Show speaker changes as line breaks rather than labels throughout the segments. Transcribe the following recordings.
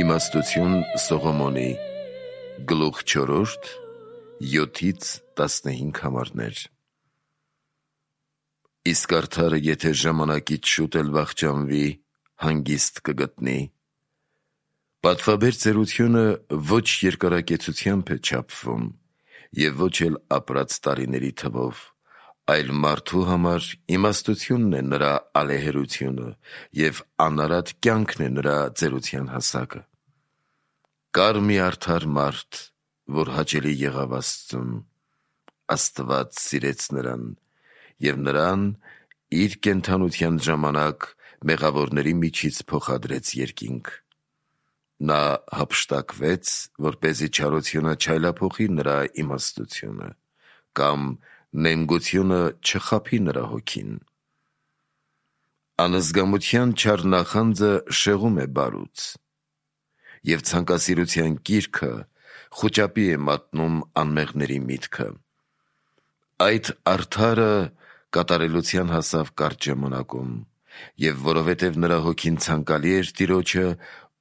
Իմաստություն Սողոմոնի գլուխ 4 7-15 համարներ։ Իսկ արդարը եթե ժամանակից շուտ էլ վախճանվի, հանգիստ կգտնի։ Պատվաբեր ծերությունը ոչ երկարակեցությամբ է չափվում և ոչ էլ ապրած տարիների թվով, այլ մարդու համար իմաստությունն է նրա ալեհերությունը և անարատ կյանքն է նրա ծերության հասակը։ Կար մի արդար մարդ, որ հաճելի եղավ Աստծուն, Աստված սիրեց նրան և նրան իր կենդանության ժամանակ մեղավորների միջից փոխադրեց երկինք։ Նա հափշտակվեց, որպեսզի չարությունը չայլափոխի նրա իմաստությունը, կամ նենգությունը չխաբի նրա հոգին։ Անզգամության չար նախանձը շեղում է բարուց, և ցանկասիրության կիրքը խուճապի է մատնում անմեղների միտքը։ Այդ արդարը կատարելության հասավ կարճ ժամանակում, և որովհետև նրա հոգին ցանկալի էր Տիրոջը,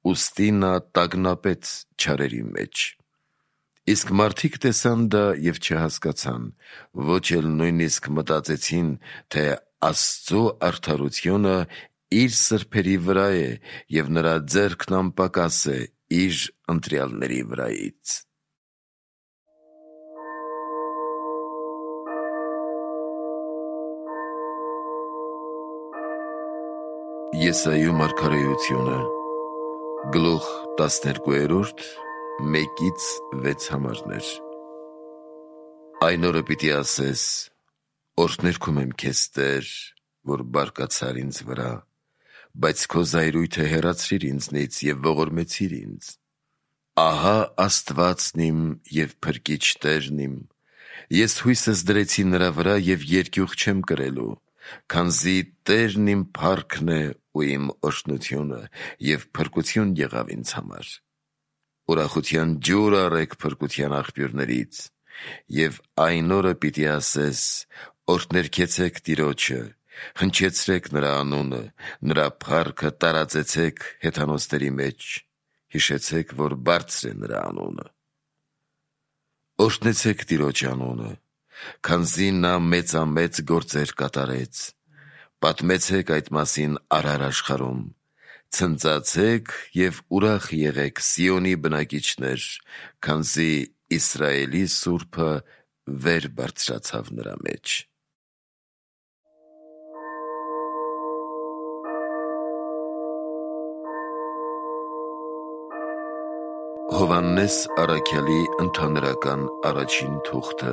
ուստի նա տագնապեց չարերի մեջ։ Իսկ մարդիկ տեսան դա և չհասկացան, ոչ էլ նույնիսկ մտածեցին, թե Աստծու արդարությունը իր սրբերի վրա է և նրա ձեռքն անպակաս է իր ընտրյալների վրայից։ Եսայու մարգարեությունը գլուխ 12 1-6 համարներ։ Այն օրը պիտի ասես. օրհներգում եմ քեզ, Տեր, որ բարկացար ինձ վրա, բայց քո զայրույթը հեռացրիր ինձնից և ողորմեցիր ինձ։ Ահա Աստվածն իմ և փրկիչ Տերն իմ, ես հույսս դրեցի նրա վրա և երկյուղ չեմ կրելու, քանզի Տերն իմ փառքն է ու իմ օրհնությունը, և փրկություն եղավ ինձ համար։ Ուրախության ջուր առեք փրկության աղբյուրներից, և այն օրը պիտի ասես. օրհներգեցեք Տիրոջը, հնչեցրեք նրա անունը, նրա փառքը տարածեցեք հեթանոսների մեջ, հիշեցեք, որ բարձր է նրա անունը։ Օրհնեցեք Տիրոջ անունը, քանզի նա մեծամեծ գործեր կատարեց, պատմեցեք այդ մասին արար աշխարհում, ցնծացեք և ուրախ եղեք Սիոնի բնակիչներ, քանզի Իսրայելի Սուրբը վեր բարձրացավ նրա մեջ։ Հովհաննես առաքյալի ընդհանրական առաջին թուղթը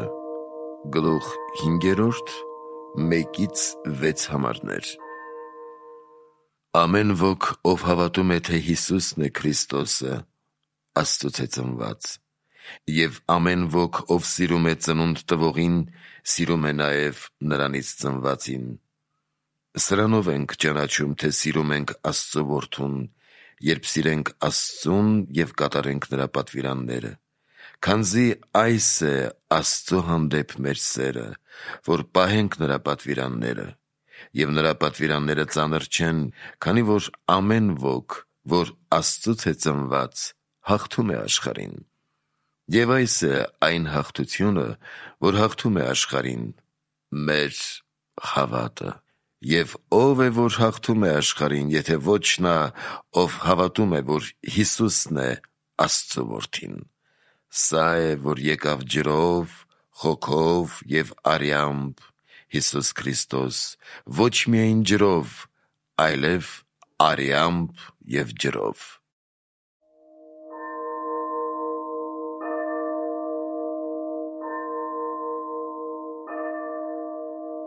գլուխ 5 1-6 համարներ։ Ամեն ոք, ով հավատում է, թե Հիսուսն է Քրիստոսը, Աստծուց է ծնված, և ամեն ոք, ով սիրում է ծնունդ տվողին, սիրում է նաև նրանից ծնվածին։ Սրանով ենք ճանաչում, թե սիրում ենք Աստծու որդուն, երբ սիրենք Աստծուն և կատարենք նրա պատվիրանները, քանզի այս է Աստծու հանդեպ մեր սերը, որ պահենք նրա պատվիրանները, և նրա պատվիրանները ծանր չեն, քանի որ ամեն ոք, որ Աստծուց է ծնված, հաղթում է աշխարհին։ Եվ այս է այն հաղթությունը, որ հաղթում է աշխարհին, մեր հավատը։ Եվ ո՞վ է, որ հաղթում է աշխարհին, եթե ոչ նա, ով հավատում է, որ Հիսուսն է Աստծու որդին։ Սա է, որ եկավ ջրով, հոգով և արյամբ, Հիսուս Քրիստոս, ոչ միայն ջրով, այլև արյամբ և ջրով։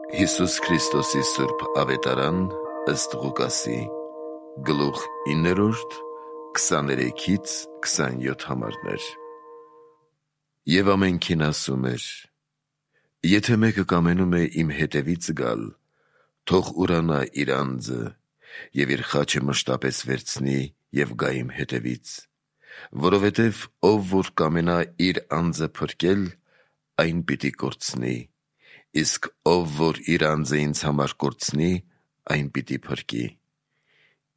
Հիսուս Քրիստոսի սուրբ ավետարան ըստ Ղուկասի գլուխ 9 23-27 համարներ։ Եվ ամենքին ասում էր. եթե մեկը կամենում է իմ հետևից գալ, թող ուրանա իր անձը և իր խաչը մշտապես վերցնի և գա իմ հետևից, որովհետև ով որ կամենա իր անձը փրկել, այն պիտի կորցնի, իսկ ով որ իր անձը ինձ համար կորցնի, այն պիտի փրկի։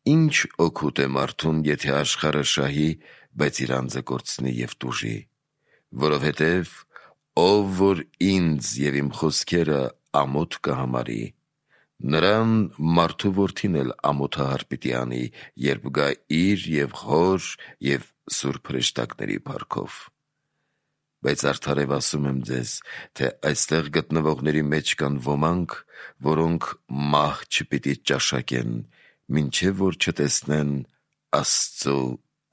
Ինչ օգուտ է մարդուն, եթե աշխարհը շահի, բայց իր անձը կորցնի և տուժի, որովհետև ով որ ինձ և իմ խոսքերը ամոթ կհամարի, նրան մարդու որդին էլ ամոթահար պիտի անի, երբ գա իր և հոր և սուրբ հրեշտակների փառքով։ Բայց արդարև ասում եմ ձեզ, թե այստեղ գտնվողների մեջ կան ոմանք, որոնք մահ չպիտի ճաշակեն, մինչև որ չտեսնեն Աստծու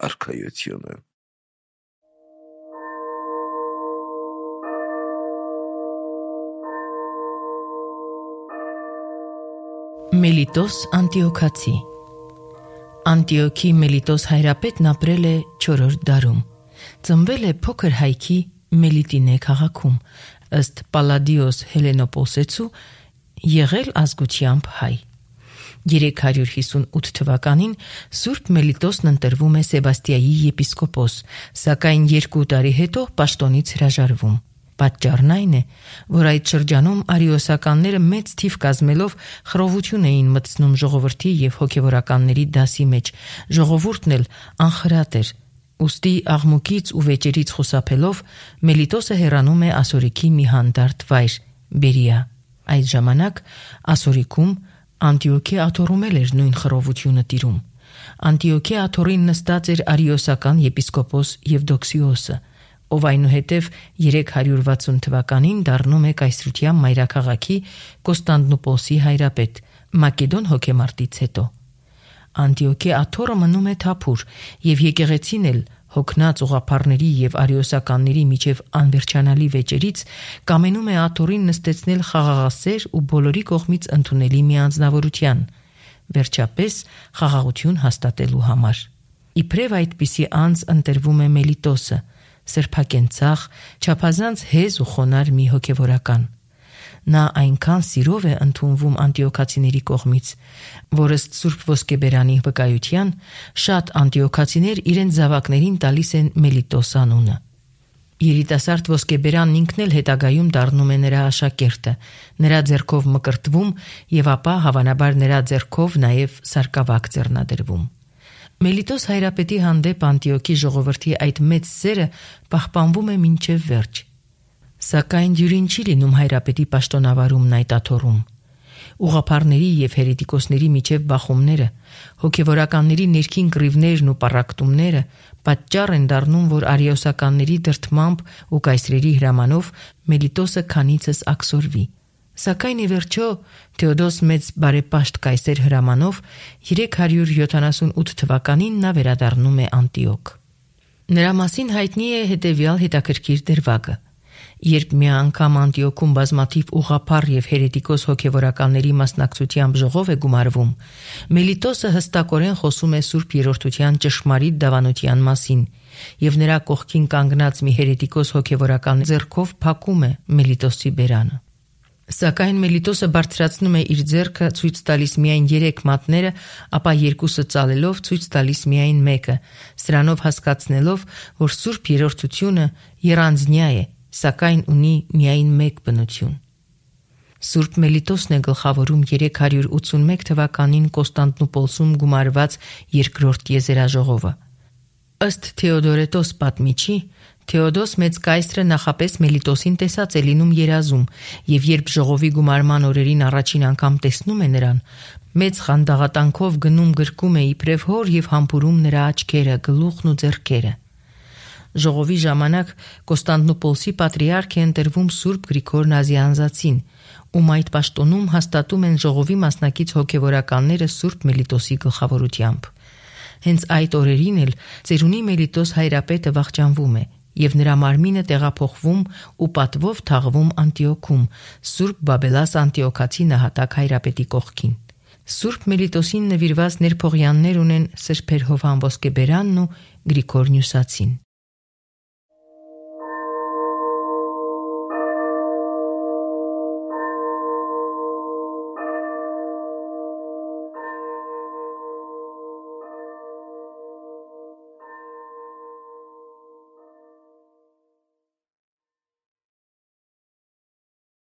արքայությունը։
Մելիտոս Անտիոքացի Անտիոքի Մելիտոս հայրապետն ապրել է 4-րդ դարում։ Ծնվել է փոքր հայքի Մելիտինե քաղաքում, ըստ Պալադիոս Հելենոպոսեցու եղել ազգությամբ հայ։ 358 թվականին Սուրբ Մելիտոսն ընտրվում է Սեբաստիայի եպիսկոպոս, սակայն 2 տարի հետո պաշտոնից հրաժարվում։ Պատճառն այն է, որ այդ շրջանում արիոսականները մեծ թիվ կազմելով խռովություն էին մտցնում ժողովրդի և հոգևորականների դասի մեջ, ժողովուրդն էլ անխրատ էր, ուստի աղմուկից ու վեճերից խուսափելով Մելիտոսը հեռանում է Ասորիքի մի հանդարտ վայր՝ Բերիա։ Այդ ժամանակ Ասորիքում Անտիոքի աթոռում էր նույն խռովությունը տիրում։ Անտիոքի աթոռին նստած էր արիոսական եպիսկոպոս Եվդոքսիոսը, ով այնուհետև 360 թվականին դառնում է կայսրության մայրաքաղաքի Կոստանդնուպոլսի հայրապետ, Մակեդոն հոգեմարտից հետո։ Անտիոքի աթոռը մնում է թափուր, և եկեղեցին էլ հոգնած ուղղափառների և արիոսականների միջև անվերջանալի վեճերից կամենում է աթոռին նստեցնել խաղաղասեր ու բոլորի կողմից ընդունելի մի անձնավորության, վերջապես խաղաղություն հաստատելու համար։ Իբրև այդպիսի անձ ընտրվում է Մելիտոսը, սրբակենցաղ, չափազանց հեզ ու խոնարհ մի հոգևորական։ Նա այնքան սիրով է ընդունվում անտիոքացիների կողմից, որ ըստ Սուրբ Ոսկեբերանի վկայության շատ անտիոքացիներ իրենց զավակներին տալիս են Մելիտոս անունը։ Երիտասարդ Ոսկեբերանն ինքն էլ հետագայում դառնում է նրա աշակերտը, նրա ձեռքով մկրտվում և ապա հավանաբար նրա ձեռքով նաև սարկավակ ձեռնադրվում։ Մելիտոս հայրապետի հանդեպ Անտիոքի ժողովրդի այդ մեծ սերը պահպանվում է մինչև վերջ։ Սակայն դյուրին չի լինում հայրապետի պաշտոնավարումն այդ աթոռում։ Ուղղափառների և հերետիկոսների միջև բախումները, հոգևորականների ներքին կռիվներն ու պառակտումները պատճառ են դառնում, որ արիոսականների դրդմամբ ու կայսրերի հրամանով Մելիտոսը քանիցս աքսորվի։ Սակայն ի վերջո Թեոդոս մեծ բարեպաշտ կայսեր հրամանով 378 թվականին նա վերադառնում է Անտիոք։ Նրա մասին հայտնի է հետևյալ հետաքրքիր դրվագը։ Երբ մի անգամ Անտիոքում բազմաթիվ ուղղափառ և հերետիկոս հոգևորականների մասնակցությամբ ժողով է գումարվում, Մելիտոսը հստակորեն խոսում է Սուրբ Երրորդության ճշմարիտ դավանության մասին, և նրա կողքին կանգնած մի հերետիկոս հոգևորական ձեռքով փակում է Մելիտոսի բերանը։ Սակայն Մելիտոսը բարձրացնում է իր ձեռքը, ցույց տալիս միայն 3 մատները, ապա 2-ը ծալելով ցույց տալիս միայն 1-ը, սրանով հասկացնելով, որ Սուրբ Երրորդությունը եռանձնյա է, սակայն ունի միայն 1 բնություն։ Սուրբ Մելիտոսն է գլխավորում 381 թվականին Կոստանդնուպոլսում գումարված երկրորդ եզերաժողովը։ Ըստ Թեոդորետոս պատմիչի, Թեոդոս մեծ կայսրը նախապես Մելիտոսին տեսած է լինում երազում, և երբ ժողովի գումարման օրերին առաջին անգամ տեսնում է նրան, մեծ խանդաղատանքով գնում գրկում է իբրև հոր և համբուրում նրա աչքերը, գլուխն ու ձեռքերը։ Ժողովի ժամանակ Կոստանդնուպոլսի պատրիարք է ընտրվում Սուրբ Գրիգոր Նազիանզացին, ում այդ պաշտոնում հաստատում են ժողովի մասնակից հոգևորականները Սուրբ Մելիտոսի գլխավորությամբ։ Հենց այդ օրերին էլ ծերունի Մելիտոս հայրապետը վախճանվում է, և նրա մարմինը տեղափոխվում ու պատվով թաղվում Անտիոքում, Սուրբ Բաբելաս Անտիոքացի նահատակ հայրապետի կողքին։ Սուրբ Մելիտոսին նվիրված ներփողյաններ ունեն Սրբեր Հովհան Ոսկեբերանն ու Գրիգոր Նյուսացին։